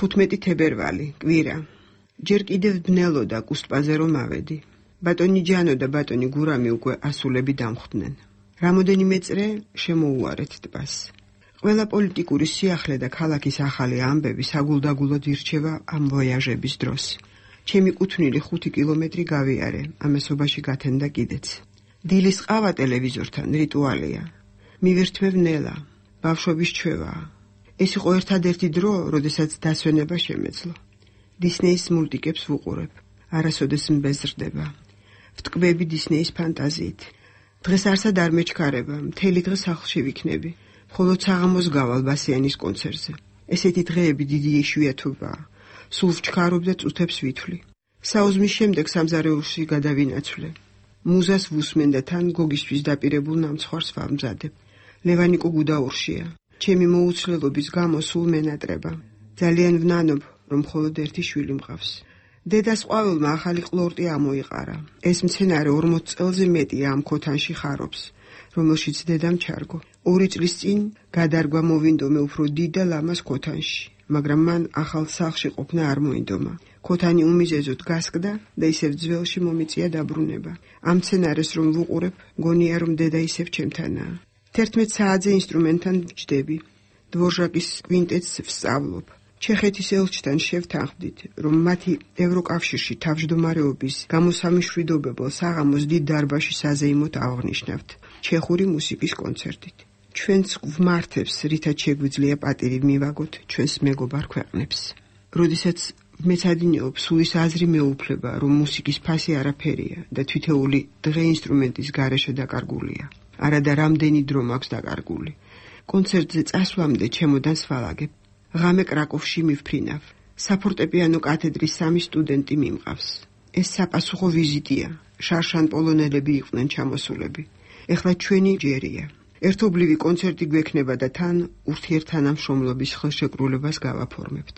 15 თებერვალი, კვირა. ჯერ კიდევ ბნელოდა კუსტპაზე რომ ავედი. ბატონი ჯანო და ბატონი გურამი უკვე ასულები დამხვდნენ. რამოდენიმე წრე შემოუარეთ ტბას. ყველა პოლიტიკური სიახლე და ქალაქის ახალი ამბები საგულდაგულოდ ირჩევა ამ ვოიაჟების დროს. ჩემი კუთვნილი 5 კილომეტრი გავიარე, ამასობაში გათენდა კიდეც. დილის ყავა ტელევიზორთან რიტუალია. მივირთმევ ნელა, ბავშვობის ჩვევაა. ეს იყო ერთადერთი დრო, როდესაც დასვენება შემეძლო. დისნეის მულტიკებს ვუყურებ, არასოდეს მბეზრდება. ვტკბები დისნეის ფანტაზიით. დღეს არსად არ მეჩქარება, მთელი დღე სახლში ვიქნები. მხოლოდ საღამოს გავალ ბასიანის კონცერტზე. ესეთი დღეები დიდი იშვიათობაა. სულ ვჩქარობ და წუთებს ვითვლი. საუზმის შემდეგ სამზარეულოში გადავინაცვლე. მუზას ვუსმენ და თან გოგისთვის დაპირებულ ნამცხვარს ვამზადებ. ლევანიკო გუდაურშია. ჩემი მოუცვლელობის გამო სულ მენატრება. ძალიან ვნანობ, რომ მხოლოდ ერთი შვილი მყავს. დედას ყვავილმა ახალი ყლორტი ამოიყარა. ეს მცენარე 40 წელზე მეტია ამ ქოთანში ხარობს, რომელშიც დედამ ჩარგო. 2 წლის წინ გადარგვა მოვინდომე უფრო დიდ და ლამაზ ქოთანში, მაგრამ მან ახალ სახლში ყოფნა არ მოინდომა. ქოთანი უმიზეზოდ გასკდა და ისევ ძველში მომიწია დაბრუნება. ამ მცენარეს რომ ვუყურებ, გონია რომ დედა ისევ ჩემთანაა. 11 საათზე ინსტრუმენტთან ვჯდები. დვორჟაკის კვინტეტს ვსწავლობ. ჩეხეთის ელჩთან შევთანხმდით, რომ მათი ევროკავშირში თავმჯდომარეობის გამოსამშვიდობებელ საღამოს დიდ დარბაზში საზეიმოდ ავღნიშნავთ ჩეხური მუსიკის კონცერტით. ჩვენც ვმართებს, რითაც შეგვიძლია პატივი მივაგოთ ჩვენს მეგობარ ქვეყნებს. როდესაც მეცადინეობ, სულის აზრი მეუფლება, რომ მუსიკის ფასი არაფერია და თითოეული დღე ინსტრუმენტის გარეშე დაკარგულია. არადა რამდენი დრო მაქვს დაკარგული. კონცერტზე წასვლამდე ჩემოდანს ვალაგებ. ღამე კრაკოვში მივფრინავ. საფორტეპიანო კათედრის 3 სტუდენტი მიმყავს. ეს საპასუხო ვიზიტია. შარშან პოლონელები იყვნენ ჩამოსულები. ეხლა ჩვენი ჯერია. ერთობლივი კონცერტი გვექნება და თან ურთიერთთანამშრომლობის ხელშეკრულებას გავაფორმებთ.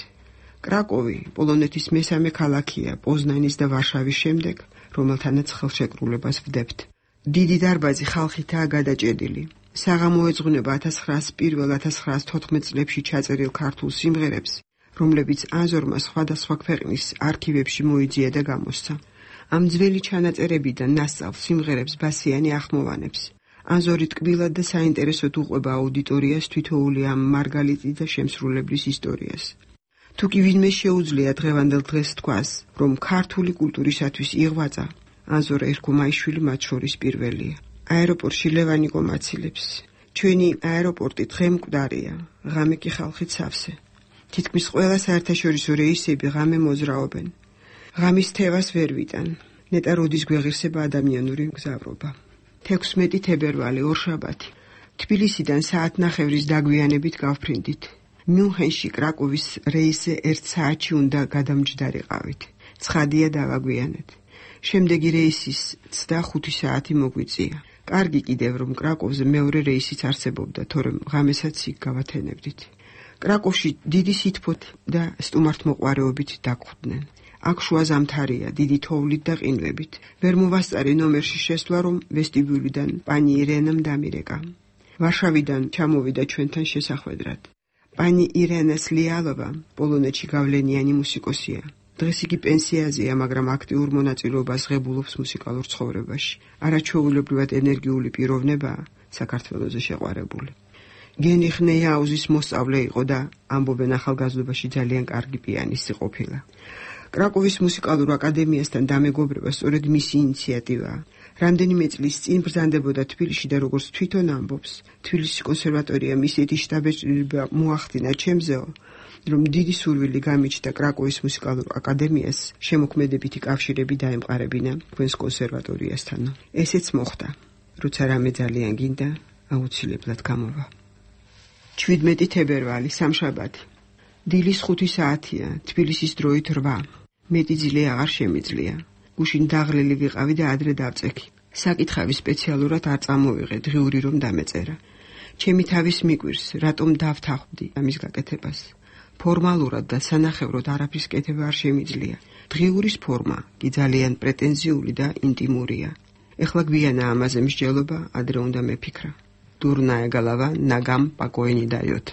კრაკოვი პოლონეთის მესამე ქალაქია პოზნანის და ვარშავის შემდეგ, რომელთანაც ხელშეკრულებას ვდებთ. დიდი დარბაზი ხალხითაა გადაჭედილი. საღამო ეძღვნება 1901-1914 წლებში ჩაწერილ ქართულ სიმღერებს, რომლებიც აზორმა სხვადასხვა ქვეყნის არქივებში მოიძია და გამოსცა. ამ ძველი ჩანაწერებიდან ნასწავლ სიმღერებს ბასიანი ახმოვანებს. აზორი ტკბილად და საინტერესოდ უყვება აუდიტორიას თითოეული ამ მარგალიტი და შემსრულებლის ისტორიას. თუ კი ვინმე შეუძლია დღევანდელ დღეს თქვას, რომ ქართული კულტურისათვის იღვაწა, აზორა ერქომაიშვილი მათ შორის პირველია. აეროპორტში ლევანიკო მაცილებს. ჩვენი აეროპორტი დღე მკვდარია, ღამე კი ხალხით სავსე. თითქმის ყველა საერთაშორისო რეისები ღამე მოძრაობენ. ღამის თევას ვერ ვიტან. ნეტა როდის გვეღირსება ადამიანური მგზავრობა. 16 თებერვალი, ორშაბათი. თბილისიდან საათნახევრის დაგვიანებით გავფრინდით. მიუნხენში კრაკოვის რეისზე 1 საათში უნდა გადამჯდარიყავით. ცხადია დავაგვიანეთ. შემდეგი რეისის ცდა 5 საათი მოგვიწია. კარგი კიდევ რომ კრაკოვზე მეორე რეისიც არსებობდა, თორემ ღამესაც იქ გავათენებდით. კრაკოვში დიდი სითბოთ და სტუმართმოყვარეობით დაგხვდნენ. აქ შუა ზამთარია, დიდი თოვლით და ყინლებით. ვერ მოვასწარე ნომერში შესვლა, რომ ვესტიბიულიდან პანი ირენამ დამირეკა. ვარშავიდან ჩამოვიდა ჩვენთან შესახვედრად. პანი ირენას ლიალობა პოლონეთში გავლენიანი მუსიკოსია. დღეს იგი პენსიაზეა, მაგრამ აქტიურ მონაწილეობას ღებულობს მუსიკალურ ცხოვრებაში. არაჩვეულებრივად ენერგიული პიროვნებაა, საქართველოზე შეყვარებული. გენრიხ ნეიაუზის მოსწავლე იყო და ამბობენ ახალგაზრდობაში ძალიან კარგი პიანისტი ყოფილა. კრაკოვის მუსიკალურ აკადემიასთან დამეგობრება სწორედ მისი ინიციატივაა. რამდენიმე წლის წინ ბრძანდებოდა თბილისში და როგორც თვითონ ამბობს, თბილისის კონსერვატორიამ ისეთი შტაბ-ჭრილობა მოახდინა ჩემზეო, რომ დიდი სურვილი გამიჩნდა კრაკოვის მუსიკალურ აკადემიას შემოქმედებითი კავშირები დაემყარებინა თქვენს კონსერვატორიასთან. ესეც მოხდა. როცა რამე ძალიან გინდა, აუცილებლად გამოვა. 17 თებერვალი, სამშაბათი. დილის 5 საათია, თბილისის დროით 8. მეტი ძილე აღარ შემიძლია. გუშინ დაღლილი ვიყავი და ადრე დავწექი. საკითხავი სპეციალურად არ წამოვიღე, დღიური რომ დამეწერა. ჩემი თავის მიკვირს, რატომ დავთანხმდი ამის გაკეთებას. ფორმალურად და სანახევროდ არაფრის კეთება არ შემიძლია. დღიურის ფორმა კი ძალიან პრეტენზიული და ინტიმურია. ეხლა გვიანა ამაზე მსჯელობა, ადრე უნდა მეფიქრა. დურნაე გალავა ნაგამ პაკოენი დაიოთ.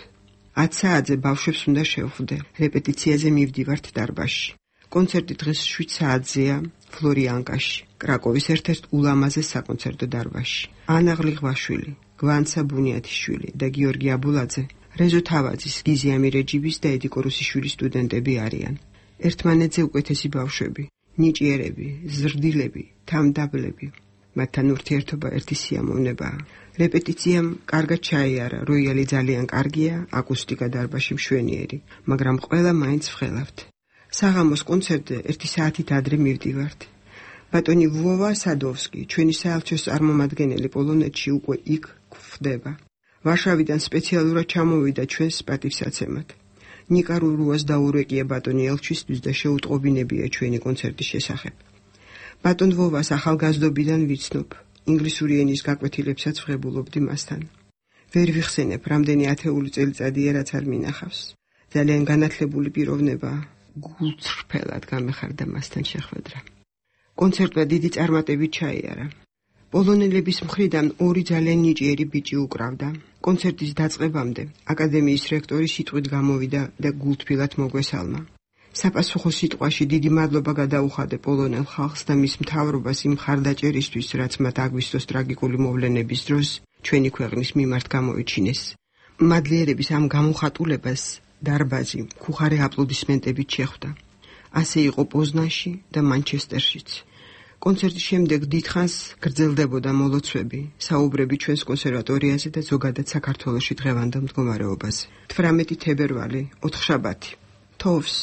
10 საათზე ბავშვებს უნდა შევხვდე. რეპეტიციაზე მივდივართ დარბაზში. კონცერტი დღეს 7 საათზეა ფლორიანკაში, კრაკოვის ერთ-ერთ ულამაზეს საკონცერტო დარბაზში. ანა ღლიღვაშვილი, გვანცა ბუნიათიშვილი და გიორგი აბულაძე, რეზო თავაძის, გიზი ამირეჯიბის და ედიკო რუსიშვილის სტუდენტები არიან. ერთმანეთზე უკეთესი ბავშვები, ნიჭიერები, ზრდილები, თამდაბლები. მათთან ურთიერთობა ერთი სიამოვნებაა. რეპეტიციამ კარგად ჩაიარა, როიალი ძალიან კარგია, აკუსტიკა დარბაზში მშვენიერი, მაგრამ ყველა მაინც ვხელავთ. საღამოს კონცერტზე 1 საათით ადრე მივდივართ. ბატონი ვოვა სადოვსკი, ჩვენი საელჩოს წარმომადგენელი პოლონეთში უკვე იქ გვხვდება. ვარშავიდან სპეციალურად ჩამოვიდა ჩვენს პატივსაცემად. ნიკა რურუას დაურეკია ბატონი ელჩისთვის და შეუტყობინებია ჩვენი კონცერტის შესახებ. ბატონ ვოვას ახალგაზრდობიდან ვიცნობ, ინგლისური ენის გაკვეთილებსაც ვღებულობდი მასთან. ვერ ვიხსენებ, რამდენი ათეული წელიწადია, რაც არ მინახავს. ძალიან განათლებული პიროვნებაა. გულწრფელად გამეხარდა მასთან შეხვედრა. კონცერტმა დიდი წარმატებით ჩაიარა. პოლონელების მხრიდან 2 ძალიან ნიჭიერი ბიჭი უკრავდა. კონცერტის დაწყებამდე აკადემიის რექტორი სიტყვით გამოვიდა და გულთბილად მოგვესალმა. საპასუხო სიტყვაში დიდი მადლობა გადაუხადე პოლონელ ხალხს და მის მთავრობას იმ მხარდაჭერისთვის, რაც მათ აგვისტოს ტრაგიკული მოვლენების დროს ჩვენი ქვეყნის მიმართ გამოიჩინეს. მადლიერების ამ გამოხატულებას დარბაზი ხუხარე აპლოდისმენტებით შეხვდა. ასე იყო პოზნანში და მანჩესტერშიც. კონცერტის შემდეგ დიდხანს გრძელდებოდა მოლოცვები, საუბრები ჩვენს კონსერვატორიაზე და ზოგადად საქართველოში დღევანდელ მდგომარეობაზე. 18 თებერვალი, ოთხშაბათი. თოვს,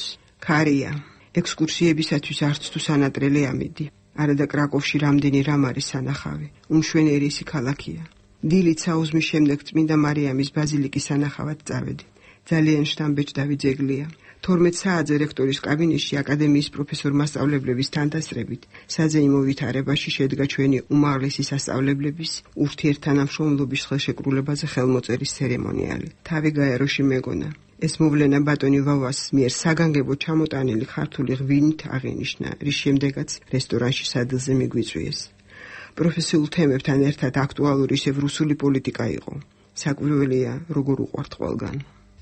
ქარია. ექსკურსიებისათვის არც თუ სანატრელი ამიდი. არადა კრაკოვში რამდენი რამ არის სანახავი. უმშვენიერესი ქალაქია. დილით საუზმის შემდეგ წმინდა მარიამის ბაზილიკის სანახავად წავედი. ძალიან შთამბეჭდავი ძეგლია. 12 საათზე რექტორის კაბინეტში აკადემიის პროფესორ მასწავლებლების თანდასწრებით საზეიმო ვითარებაში შედგა ჩვენი უმაღლესი სასწავლებლების ურთიერთთანამშრომლობის ხელშეკრულებაზე ხელმოწერის ცერემონიალი. თავი გაეროში მეგონა. ეს მოვლენა ბატონი ვავას მიერ საგანგებო ჩამოტანილი ქართული ღვინით აღინიშნა, რის შემდეგაც რესტორანში სადილზე მიგვიწვიეს. პროფესიულ თემებთან ერთად აქტუალური ისევ რუსული პოლიტიკა იყო. საკვირველია, როგორ უყვართ ყველგან.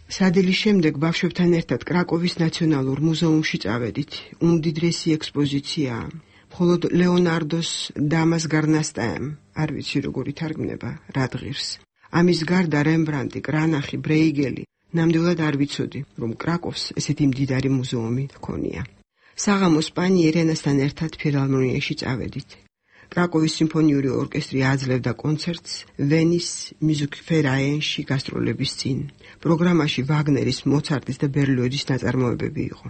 სადილის შემდეგ ბავშვებთან ერთად კრაკოვის ნაციონალურ მუზეუმში წავედით. უმდიდრესი ექსპოზიციაა. მხოლოდ ლეონარდოს დამას გარნასტაემ, არ ვიცი როგორ ითარგმნება, რადღირს. ამის გარდა რემბრანტი, კრანახი, ბრეიგელი, ნამდვილად არ ვიცოდი, რომ კრაკოვს ესეთი მდიდარი მუზეუმი ჰქონია. საღამოს პანი ერენასთან ერთად ფილარმონიაში წავედით. კრაკოვის სიმფონიური ორკესტრი აძლევდა კონცერტს ვენის მიზუკფერაენში გასტროლების წინ. პროგრამაში ვაგნერის, მოცარტის და ბერლიოზის ნაწარმოებები იყო.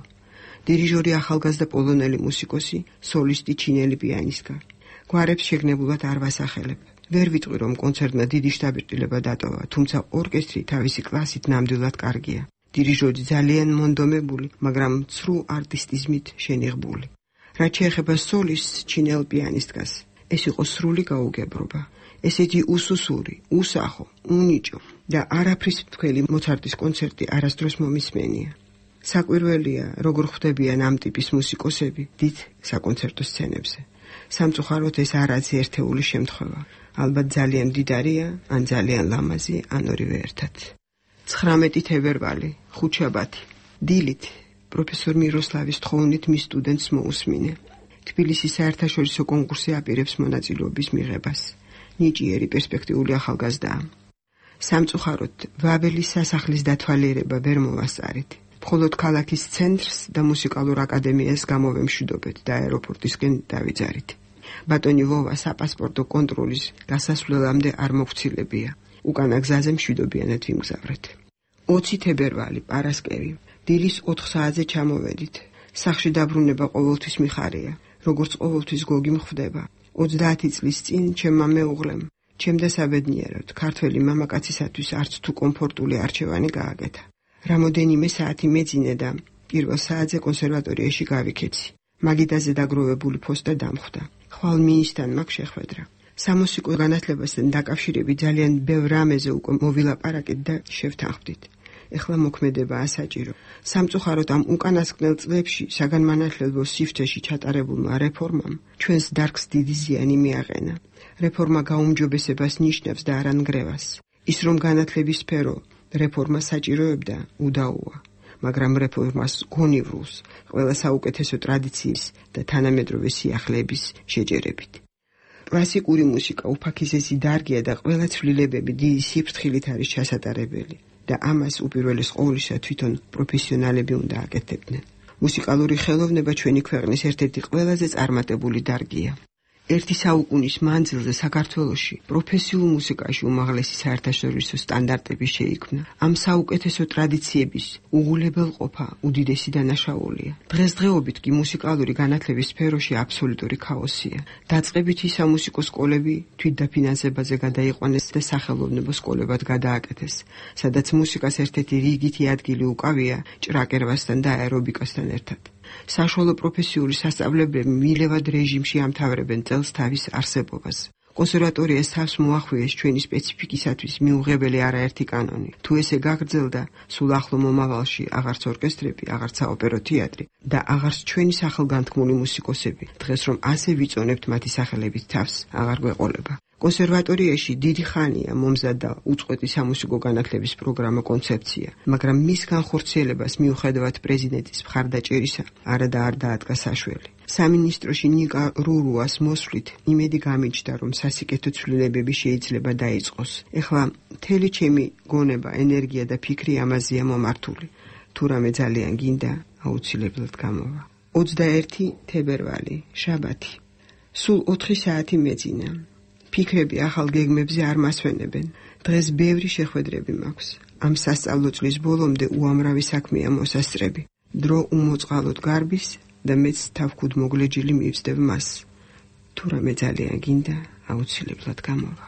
დირიჟორი ახალგაზრდა პოლონელი მუსიკოსი, სოლისტი ჩინელი პიანისტკა. გვარებს შეგნებულად არ ვასახელებ. ვერ ვიტყვი, რომ კონცერტმა დიდი შთაბეჭდილება დატოვა, თუმცა ორკესტრი თავისი კლასით ნამდვილად კარგია. დირიჟორი ძალიან მონდომებული, მაგრამ ცრუ არტისტიზმით შენიღბული. რაც შეეხება სოლისტს, ჩინელ პიანისტკას, ეს იყო სრული გაუგებრობა. ესეთი უსუსური, უსახო, უნიჭო და არაფრის მთელი მოცარტის კონცერტი არასდროს მომისმენია. საკვირველია, როგორ ხვდებიან ამ ტიპის მუსიკოსები დიდ საკონცერტო სცენებზე. სამწუხაროდ ეს არაც ერთეული შემთხვევა. ალბათ ძალიან მდიდარია, ან ძალიან ლამაზი, ან ორივე ერთად. 19 თებერვალი, ხუთშაბათი. დილით პროფესორ მიროსლავის თხოვნით მის სტუდენტს მოусმინე. თბილისის საერთაშორისო კონკურსი აპირებს მონაწილეობის მიღებას. ნიჭიერი პერსპექტიული ახალგაზრდაა. სამწუხაროდ, ვაველის სასახლის დათვალიერება ვერ მოვასწარით. მხოლოდ ქალაქის ცენტრს და მუსიკალურ აკადემიას გამოვემშვიდობეთ და აეროპორტისკენ დავიძარით. ბატონი ვოვა საპასპორტო კონტროლის გასასვლელამდე არ მოგვცილებია. უკანა გზაზე მშვიდობიანად ვიმგზავრეთ. 20 თებერვალი, პარასკევი. დილის 4 საათზე ჩამოვედით. სახლში დაბრუნება ყოველთვის მიხარია. როგორც ყოველთვის გოგი მხვდება. 30 წლის წინ ჩემმა მეუღლემ, ჩემ დასაბედნიეროდ, ქართველი მამაკაცისათვის არც თუ კომფორტული არჩევანი გააკეთა. რამოდენიმე საათი მეძინე და პირველ საათზე კონსერვატორიაში გავიქეცი. მაგიდაზე დაგროვებული ფოსტა დამხვდა. ხვალ მინისთან მაქვს შეხვედრა. სამუსიკო განათლებასთან დაკავშირებით ძალიან ბევრ რამეზე უკვე მოვილაპარაკეთ და შევთანხმდით. ეხლა მოქმედებაა საჭირო. სამწუხაროდ ამ უკანასკნელ წლებში საგანმანათლებლო სივრცეში ჩატარებულმა რეფორმამ ჩვენს დარგს დიდი ზიანი მიაყენა. რეფორმა გაუმჯობესებას ნიშნავს და არა ნგრევას. ის რომ განათლების სფერო რეფორმა საჭიროებდა უდაოა, მაგრამ რეფორმას გონივრულს ყველა საუკეთესო ტრადიციის და თანამედროვე სიახლეების შეჯერებით. კლასიკური მუსიკა უფაქიზესი დარგია და ყველა ცვლილებები დიდი სიფრთხილით არის ჩასატარებელი და ამას უპირველეს ყოვლისა თვითონ პროფესიონალები უნდა აკეთებდნენ. მუსიკალური ხელოვნება ჩვენი ქვეყნის ერთ-ერთი ყველაზე წარმატებული დარგია. ერთი საუკუნის მანძილზე საქართველოში პროფესიულ მუსიკაში უმაღლესი საერთაშორისო სტანდარტები შეიქმნა. ამ საუკეთესო ტრადიციების უღულებელყოფა უდიდესი დანაშაულია. დღესდღეობით კი მუსიკალური განათლების სფეროში აბსოლუტური ქაოსია. დაწყებითი სამუსიკო სკოლები თვითდაფინანსებაზე გადაიყვანეს და სახელოვნებო სკოლებად გადააკეთეს, სადაც მუსიკას ერთ-ერთი რიგითი ადგილი უკავია ჭრაკერვასთან და აერობიკასთან ერთად. საშუალო პროფესიული სასწავლებლები მილევად რეჟიმში ამთავრებენ წელს თავის არსებობას. კონსერვატორიას თავს მოახვიეს ჩვენი სპეციფიკისათვის მიუღებელი არაერთი კანონი. თუ ესე გაგრძელდა, სულ ახლო მომავალში აღარც ორკესტრები, აღარც საოპერო თეატრი და აღარც ჩვენი სახელგანთქმული მუსიკოსები, დღეს რომ ასე ვიწონებთ მათი სახელებით თავს, აღარ გვეყოლება. კონსერვატორიაში დიდი ხანია მომზადდა უწყვეტი სამუსიკო განათლების პროგრამა კონცეფცია, მაგრამ მის განხორციელებას მიუხედავად პრეზიდენტის მხარდაჭერისა არადა არ დაადგა საშველი. სამინისტროში ნიკა რურუას მოსვლით იმედი გამიჩნდა, რომ სასიკეთო ცვლილებები შეიძლება დაიწყოს. ეხლა მთელი ჩემი გონება, ენერგია და ფიქრი ამაზეა მომართული. თუ რამე ძალიან გინდა, აუცილებლად გამოვა. 21 თებერვალი, შაბათი. სულ 4 საათი მეძინა. ფიქრები ახალ გეგმებზე არ მასვენებენ. დღეს ბევრი შეხვედრები მაქვს. ამ სასწავლო წლის ბოლომდე უამრავი საქმეა მოსასწრები. დრო უმოწყალოდ გარბის და მეც თავქუდ მოგლეჯილი მივსდევ მას. თუ რამე ძალიან გინდა, აუცილებლად გამოვა.